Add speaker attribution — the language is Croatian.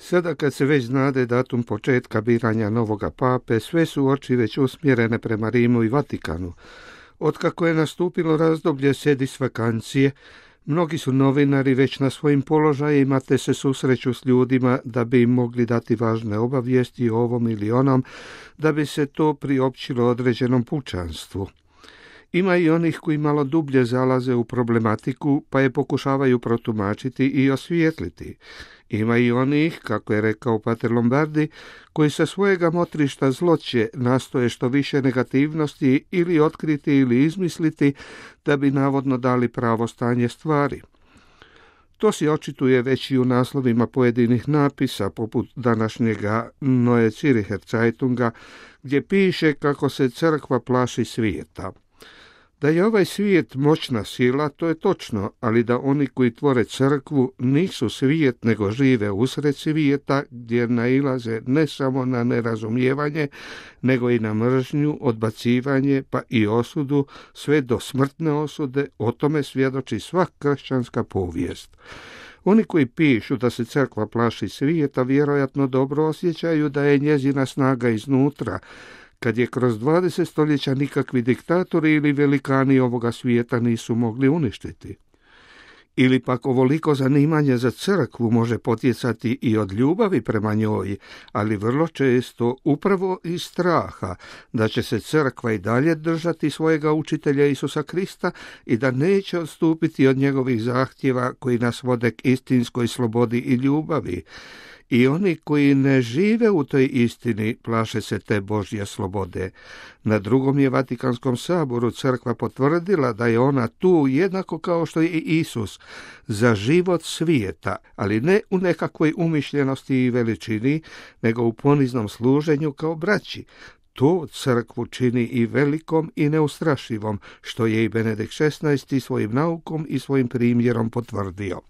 Speaker 1: Sada kad se već znade datum početka biranja novoga pape, sve su oči već usmjerene prema Rimu i Vatikanu. Otkako je nastupilo razdoblje sedis vakancije, mnogi su novinari već na svojim položajima te se susreću s ljudima da bi im mogli dati važne obavijesti o ovom ili onom, da bi se to priopćilo određenom pučanstvu. Ima i onih koji malo dublje zalaze u problematiku, pa je pokušavaju protumačiti i osvijetliti. Ima i onih, kako je rekao pater Lombardi, koji sa svojega motrišta zloće nastoje što više negativnosti ili otkriti ili izmisliti, da bi navodno dali pravo stanje stvari. To se očituje već i u naslovima pojedinih napisa, poput današnjega Neue Zürcher Zeitunga, gdje piše kako se crkva plaši svijeta. Da je ovaj svijet moćna sila, to je točno, ali da oni koji tvore crkvu nisu svijet, nego žive usred svijeta, gdje nailaze ne samo na nerazumijevanje, nego i na mržnju, odbacivanje, pa i osudu, sve do smrtne osude, o tome svjedoči sva kršćanska povijest. Oni koji pišu da se crkva plaši svijeta, vjerojatno dobro osjećaju da je njezina snaga iznutra, kad je kroz 20 stoljeća nikakvi diktatori ili velikani ovoga svijeta nisu mogli uništiti. Ili pak ovoliko zanimanje za crkvu može potjecati i od ljubavi prema njoj, ali vrlo često upravo iz straha da će se crkva i dalje držati svojega učitelja Isusa Krista i da neće odstupiti od njegovih zahtjeva koji nas vode k istinskoj slobodi i ljubavi. I oni koji ne žive u toj istini plaše se te Božje slobode. Na drugom je Vatikanskom saboru crkva potvrdila da je ona tu jednako kao što je i Isus za život svijeta, ali ne u nekakvoj umišljenosti i veličini, nego u poniznom služenju kao braći. To crkvu čini i velikom i neustrašivom, što je i Benedikt XVI svojim naukom i svojim primjerom potvrdio.